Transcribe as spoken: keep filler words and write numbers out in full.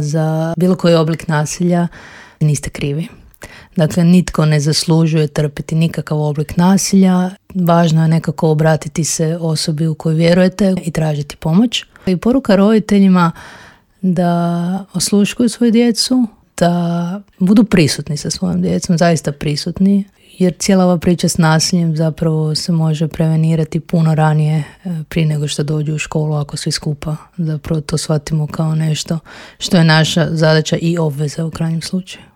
za bilo koji oblik nasilja, niste krivi. Dakle, nitko ne zaslužuje trpiti nikakav oblik nasilja. Važno je nekako obratiti se osobi u koju vjerujete i tražiti pomoć. I poruka roditeljima da osluškuju svoju djecu, da budu prisutni sa svojom djecom, zaista prisutni, jer cijela ova priča s nasiljem zapravo se može prevenirati puno ranije prije nego što dođu u školu ako svi skupa. Zapravo to shvatimo kao nešto što je naša zadaća i obveza u krajnjem slučaju.